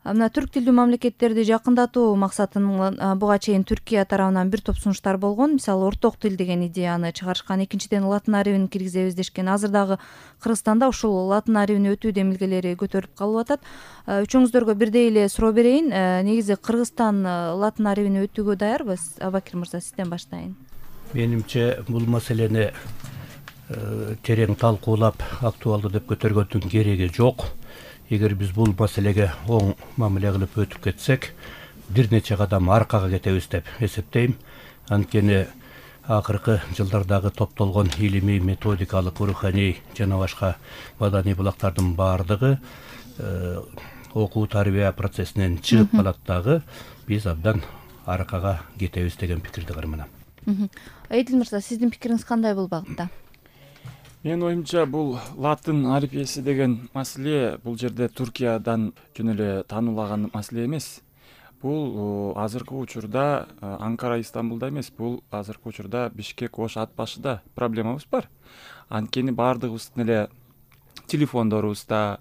Мына түрк тилдүү мамлекеттерди жакындатуу максатынын буга чейин Түркия тарабынан бир топ сунуштар болгон. Мисалы, орток тил деген идеяны чыгарышкан. Экинчиден, латын арибин киргизебиз дешкен. Азыр дагы Кыргызстанда ушул латын арибине өтүү демилгелери көтөрүлүп калып атат. Үчөөңүздөргө бирдей эле суроо берейин. Негизи Кыргызстан латын арибине өтүүгө даярбы? Абакир мырза, сизден баштайын. Менимче бул маселени терең талкуулап, актуалдуу деп көтөргөндүн кереги жок. Эгер биз бул маселеге оң мамиле кылып өтүп кетсек, бир нече кадам аркага кетебиз деп эсептейм. Анткени акыркы жылдардагы топтолгон илимий, методикалык, руханий жана башка маданий булактардын баардыгы окуу тарбия процессинен чыгып калат дагы. Биз абдан аркага кетебиз деген пикирди карманам. Эдил мырза, сиздин пикириңиз кандай бул багытта? Менин оюмча, бул латын алифбеси деген маселе бул жерде Түркиядан жөн эле таануулаган маселе эмес. Бул азыркы учурда Анкара, Истамбулда эмес, бул азыркы учурда Бишкек, Ош ат башыда проблемабыз бар. Анткени баардыгыбыздын эле телефондорубузда,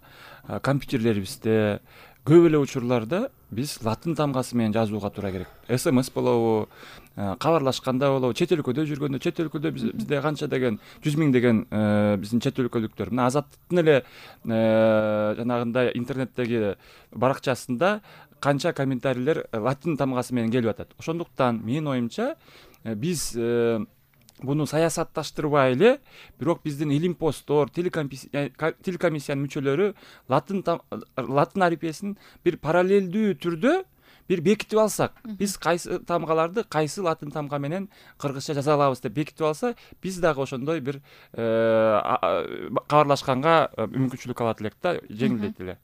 компьютерлерибизде көп эле учурларда биз латын тамгасы менен жазууга туура келет. СМС болобу, кабарлашканда болобу, чет өлкөдө жүргөндө, чет өлкөдө бизде канча деген 100 миң деген биздин чет өлкөлүктөр. Мына Азаттын эле жанагындай интернеттеги баракчасында канча комментарийлер латын тамгасы менен келип атат. Ошондуктан менин оюмча биз буну саясатташтырбай эле, бирок биздин илимпоздор, телекомиссиянын мүчөлөрү латын алифбесин бир параллелдүү түрдө бир бекитип алсак, биз кайсы тамгаларды кайсы латын тамга менен кыргызча жаза алабыз деп бекитип алса, биз дагы ошондой бир кабарлашканга мүмкүнчүлүк алат элек да, жеңилдейт эле.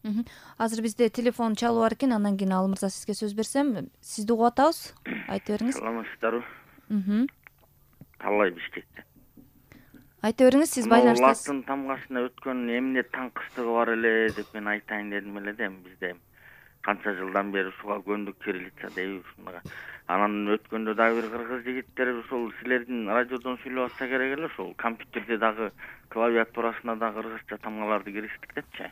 Азыр бизде телефон чалып бар экен, андан кийин Ал мырза сизге сөз берсем, сизди угуп атабыз. Айта бериңиз. Саламатсыздарбы? Талай Бишкектен. Айта бериңиз, сиз байланыштасыз. Латын тамгасына өткөн эмне таңкыстыгы бар эле деп мен айтайын дедим эле да, бизде канча жылдан бери ушуга көндүк, кириллица дейбиз. Анан өткөндө дагы бир кыргыз жигиттери ушул силердин радиодон сүйлөп атса керек эле, ушул компьютерде дагы клавиатурасына да кыргызча тамгаларды киргиздик депчи.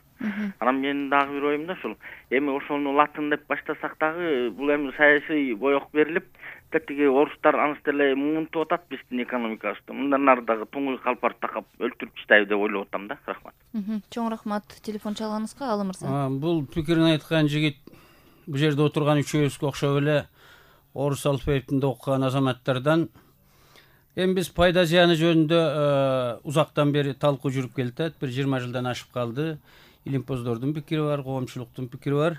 Анан менин дагы бир оюмда ушул эми ошону латын деп баштасак дагы бул эми саясий боек берилип, тетиги орустар анысы деле муунтуп атат биздин экономикабызды. Мындан ары дагы туңгуй калпар такап өлтүрүп таштайбы деп ойлоп атам да. Рахмат. Чоң рахмат телефон чалганыңызга, Ал мырза. Бул пикирин айткан жигит бул жерде отурган үчөөбүзгө окшоп эле орус алфавитинде окуган азаматтардан. Эми биз пайда зыяны жөнүндө узактан бери талкуу жүрүп келатат. Бир 20 жылдан ашып калды. Илимпоздордун пикири бар, коомчулуктун пикири бар.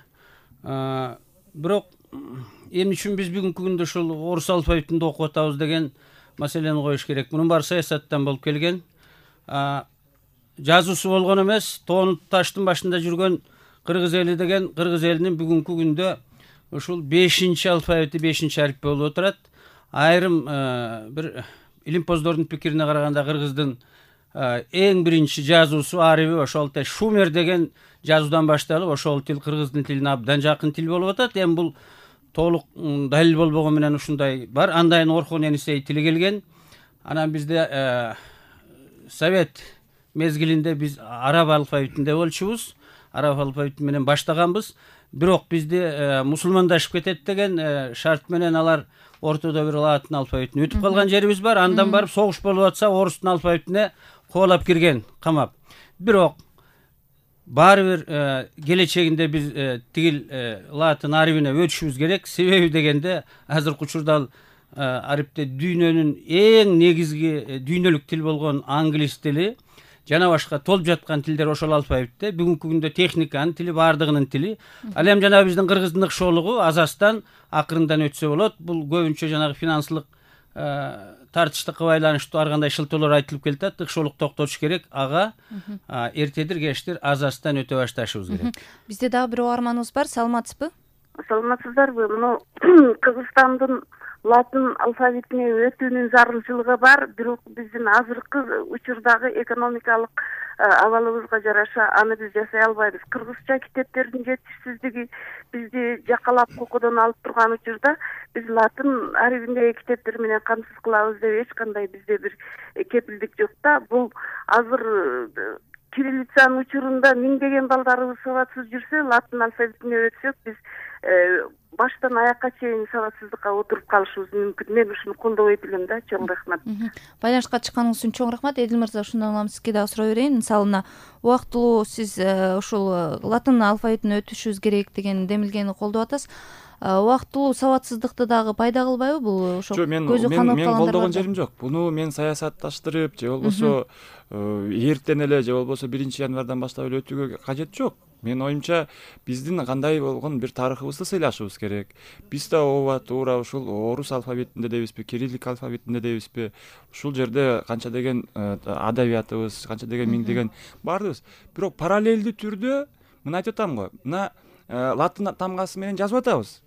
Бирок эмне үчүн биз бүгүнкү күндө ушул орус алфавитинде окуп атабыз деген маселени коюш керек. Мунун баары саясаттан болуп келген. Жазуусу болгон эмес, тоон таштын башында жүргөн кыргыз эли деген кыргыз элинин бүгүнкү күндө ушул 5-чи алфавити, 5-чи ариф болуп отурат. Айрым бир илимпоздордун пикирине караганда кыргыздын эң биринчи жазуусу, арифи ошол шумер деген жазуудан башталып, ошол тил кыргыздын тилине абдан жакын тил болуп атат. Эми бул толук далил болбогон менен ушундай бар. Андан Орхон Енисей тили келген. Анан бизде Совет мезгилинде биз араб алфавитинде болчубуз. Араб алфавити менен баштаганбыз. Бирок бизди мусулмандашып кетет деген шарт менен алар ортодо бир латын алфавитине өтүп калган жерибиз бар. Андан барып согуш болуп атса, орустун алфавитине кубалап кирген, камап. Бирок баары бир келечегинде биз тигил латын арифине өтүшүбүз керек. Себеби дегенде азыркы учурда арифте дүйнөнүн эң негизги дүйнөлүк тил болгон англис тили жана башка толуп жаткан тилдер ошол алфавитте. Бүгүнкү күндө техниканын тили, баардыгынын тили. Ал эми жана биздин кыргыздын ыкшоолугу Азастан акырындан өтсө болот. Бул көбүнчө жанагы финансылык тартыштыкка байланыштуу ар кандай шылтоолор айтылып келатат. Ыкшоолук токтотуш керек. Ага эртедир кечтир Азастан өтө башташыбыз керек. Бизде дагы бир угарманыбыз бар. Саламатсызбы? Саламатсыздарбы? Мына Кыргызстандын латын алфавитине өтүүнүн зарылчылыгы бар, бирок биздин азыркы учурдагы экономикалык абалыбызга жараша аны биз жасай албайбыз. Кыргызча китептердин жетишсиздиги бизди жакалап кокодон алып турган учурда биз латын арифиндеги китептер менен камсыз кылабыз деп эч кандай бизде бир кепилдик жок да. Бул азыр кириллицанын учурунда миңдеген балдарыбыз сабатсыз жүрсө, латын алфавитине өтсөк, биз баштан аякка чейин сабатсыздыкка отуруп калышыбыз мүмкүн. Мен ушуну колдобойт элем да. Чоң рахмат. Байланышка чыкканыңыз үчүн чоң рахмат. Эдил мырза, ушундан улам сизге дагы суроо берейин. Мисалы мына убактылуу сиз ушул латын алфавитине өтүшүбүз керек деген демилгени колдоп атасыз. Убактылуу сабатсыздыкты дагы пайда кылбайбы бул? Ошо көзү канып мен калгандар колдогон жерим жок. Буну мен саясатташтырып же болбосо эртен эле же болбосо 1-январдан баштап эле өтүүгө кажет жок. Менин оюмча биздин кандай болгон бир тарыхыбызды сыйлашыбыз керек. Биз да ооба туура ушул орус алфавитинде дейбизби, кириллик алфавитинде дейбизби, ушул жерде канча деген адабиятыбыз, канча деген миңдеген баарыбыз. Бирок параллелдүү түрдө мына айтып атам го. Мына латын тамгасы менен жазып атабыз.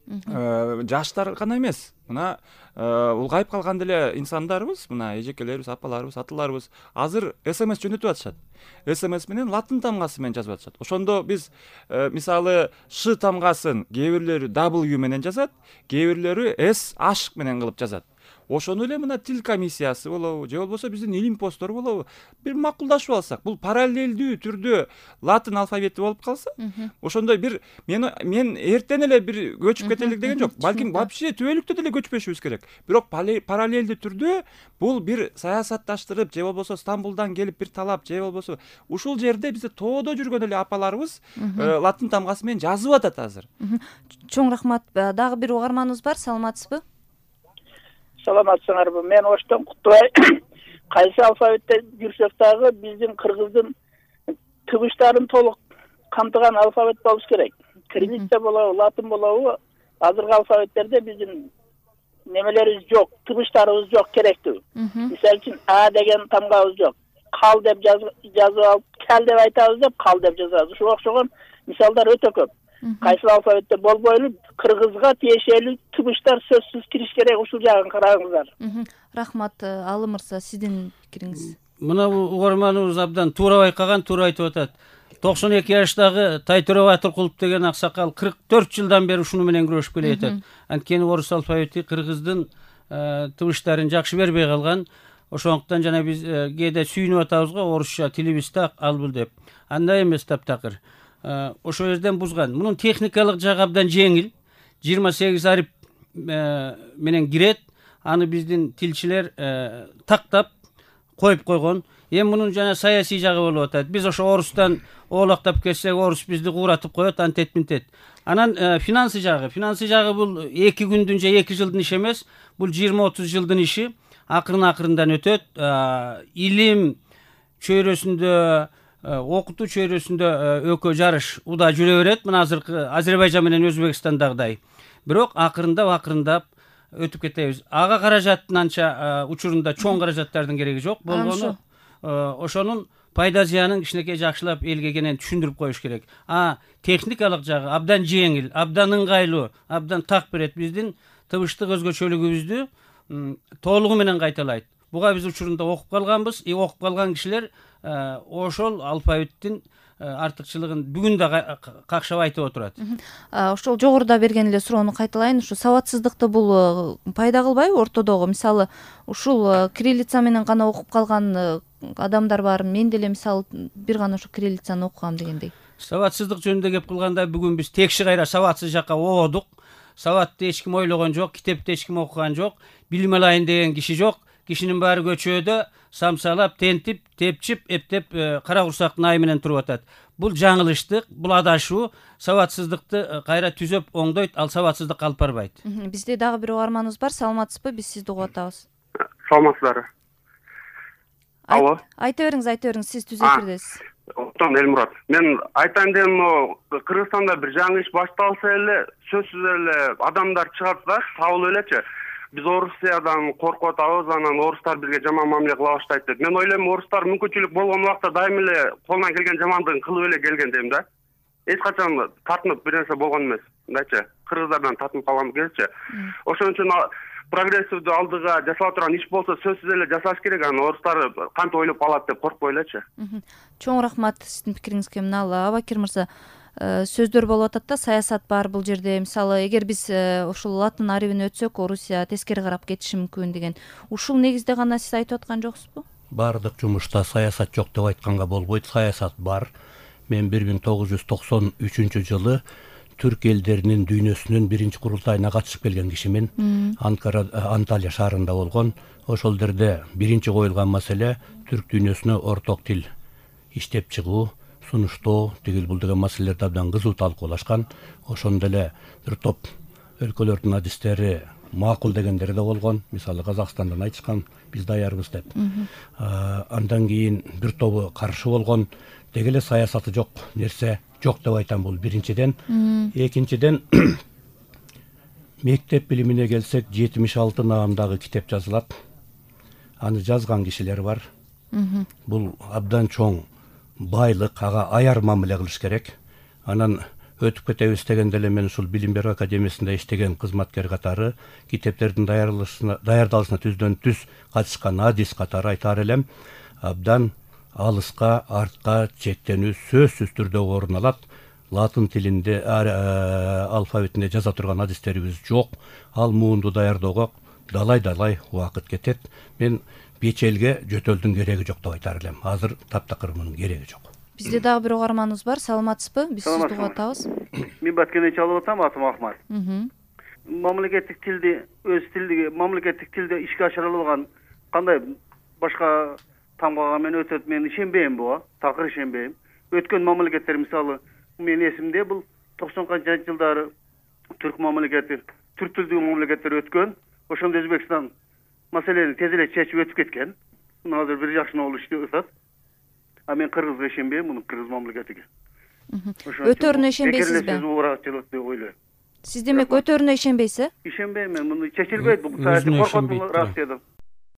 Жаштар гана эмес, мына улгайып калган деле инсандарыбыз, мына эжекелерибиз, апаларыбыз, аталарыбыз азыр СМС жөнөтүп атышат. СМС менен латын тамгасы менен жазып атышат. Ошондо биз мисалы Ш тамгасын кээ бирлери W менен жазат, кээ бирлери SH менен кылып жазат. Ошону эле мына тил комиссиясы болобу, же болбосо биздин илим посттору болобу, бир макулдашып алсак, бул параллелдүү түрдө латын алфавити болуп калса, ошондой бир мен эртен эле бир көчүп кетелик деген жок. Балким вообще түбөлүктүү деле көчпөшүбүз керек. Бирок параллелдүү түрдө бул бир саясатташтырып, же болбосо Стамбулдан келип бир талап, же болбосо ушул жерде бизде тоодо жүргөн эле апаларыбыз латын тамгасы менен жазып атат азыр. Чоң рахмат. Дагы бир угарманыбыз бар, саламатсызбы? Саламатсыңарбы? Мен Оштон Куттубай. Кайсы алфавитте жүрсөк дагы биздин кыргыздын тыбыштарын толук камтыган алфавит болуш керек. Кириллица болобу, латын болобу, азыркы алфавиттерде биздин немелерибиз жок, тыбыштарыбыз жок керектүү. Мисалы үчүн А деген тамгабыз жок. Кал деп жазып алып, кал деп айтабыз деп кал деп жазабыз. Ушуга окшогон мисалдар өтө көп. Кайсы алфавитте болбой эле кыргызга тиешелүү тыбыштар сөзсүз кириш керек. Ушул жагын караңыздар. Рахмат. Алым мырза, сиздин пикириңиз? Мына угарманыбыз абдан туура байкаган, туура айтып атат. 92 жаштагы Тайтөре Батыркулов деген аксакал 44 жылдан бери ушуну менен күрөшүп келе жатат. Анткени орус алфавити кыргыздын тыбыштарын жакшы бербей калган. Ошондуктан жана биз кээде сүйүнүп атабыз го, орусча тилибиз так ал бул деп. Андай эмес таптакыр. Ошол жерден бузган. Мунун техникалык жагы абдан жеңил. 28 арип менен кирет. Аны биздин тилчилер тактап коюп койгон. Эми мунун жана саясий жагы болуп атат. Биз ошо орустан оолактап келсек, орус бизди кууратып коет, антет минтет. Анан финансы жагы бул 2 күндүн же 2 жылдын иши эмес. Бул 20-30 жылдын иши. Акырын-акырындан өтөт. Илим чөйрөсүндө, окутуу чөйрөсүндө экөө жарыш уда жүрө берет. Мына азыркы Азербайжан менен Өзбекстандагыдай. Бирок акырындап өтүп кетебиз. Ага каражаттын анча учурунда чоң каражаттардын кереги жок болгону. Ошонун пайда зыянын кичинекей жакшылап элге кенен түшүндүрүп коюш керек. Техникалык жагы абдан жеңил, абдан ыңгайлуу, абдан так берет. Биздин тыбыштык өзгөчөлүгүбүздү толугу менен кайталайт. Буга биз учурунда окуп калганбыз. Окуп калган кишилер ошол алфавиттин артыкчылыгын бүгүн да какшап айтып отурат. Ошол жогоруда берген эле суроону кайталайын. Ушу сабатсыздыкты бул пайда кылбайбы ортодогу? Мисалы, ушул кириллица менен гана окуп калган адамдар бар. Мен деле мисалы бир гана ушу кириллицаны окугам дегендей. Сабатсыздык жөнүндө кеп кылганда бүгүн биз текши кайра сабатсыз жакка оодук. Сабатты эч ким ойлогон жок, китепти эч ким окуган жок, билим алайын деген киши жок. Кишинин баары көчөдө самсалап, тентип, тепчип, эптеп кара курсактын айы менен туруп атат. Бул жаңылыштык, бул адашуу, сабатсыздыкты кайра түзөп оңдойт, ал сабатсыздыкка алып барбайт. Бизде дагы бир угарманыбыз бар. Саламатсызбы? Биз сизди угуп атабыз. Саламатсыздарбы? Алло. Айта бериңиз, сиз түз эфирдесиз. Октон Элмурат. Мен айтайын дегеним, Кыргызстанда бир жаңы иш башталса эле, сөзсүз эле адамдар чыгат да, сабыл элечи. Биз Орусиядан коркуп атабыз, анан орустар бизге жаман мамиле кыла баштайт деп. Мен ойлойм, орустар мүмкүнчүлүк болгон убакта дайым эле колунан келген жамандыгын кылып эле келген дейм да. Эч качан тартынып бир нерсе болгон эмес. Мындайчы, кыргыздардан тартынып калган келчи. Ошон үчүн прогрессивдүү алдыга жасала турган иш болсо сөзсүз эле жасаш керек. Анан орустар кантип ойлоп алат деп коркпой элечи. Чоң рахмат сиздин пикириңизге. Мына Абакир мырза, сөздөр болуп атат да, саясат бар бул жерде. Мисалы, эгер биз ушул латын арибине өтсөк, Орусия тескери карап кетиши мүмкүн деген. Ушул негизде гана сиз айтып аткан жоксузбу? баардык жумушта саясат жок деп айтканга болбойт. Саясат бар. Мен 1993 жылы түрк элдеринин дүйнөсүнүн биринчи курултайына катышып келген кишимин. Анталия шаарында болгон. Ошол жерде биринчи коюлган маселе түрк дүйнөсүнө орток тил иштеп чыгуу, сунуштоо, тигил бул деген маселелерди абдан кызуу талкуулашкан. Ошондо эле бир топ өлкөлөрдүн адистери макул дегендери да болгон. Мисалы Казакстандан айтышкан, биз даярбыз деп. Андан кийин бир тобу каршы болгон. Деги эле саясаты жок нерсе жок деп айтам, бул биринчиден. Экинчиден, мектеп билимине келсек, 76 наамдагы китеп жазылат. Аны жазган кишилер бар. Бул абдан чоң байлык, ага аяр мамиле кылыш керек. Анан өтүп кетебиз дегенде эле мен ушул Билим берүү академиясында иштеген кызматкер катары китептердин даярдалышына түздөн түз катышкан адис катары айтаар элем, абдан алыска, артка чектенүү сөзсүз түрдө орун алат. Латын тилинде алфавитинде жаза турган адистерибиз жок. Ал муунду даярдоого далай убакыт кетет. Мен бечелге жөтөлдүн кереги жок деп айтаар элем. Азыр таптакыр мунун кереги жок. Бизде дагы бир угарманыбыз бар. Саламатсызбы? Биз сизди угуп атабыз. Мен Баткенден чалып атам, атым Ахмат. Мамлекеттик тилди, мамлекеттик тилде ишке ашыра алган кандай башка тамгага мен өтөт, мен ишенбейм буга, такыр ишенбейм. Өткөн мамлекеттер, мисалы, мен эсимде бул 90-канчы жылдары түрк мамлекети, түрк тилдүү мамлекеттер өткөн. Ошондо Өзбекстан маселени тез эле чечип өтүп кеткен. Азыр бир жакшы болуп иштеп атат. А мен кыргызга ишенбейм, муну кыргыз мамлекетиге. Өтөрүнө ишенбейсизби? Сиз демек өтөрүнө ишенбейсиз? Ишенбейм мен, муну чечилбейт, бул саясий коркотуулар дедим.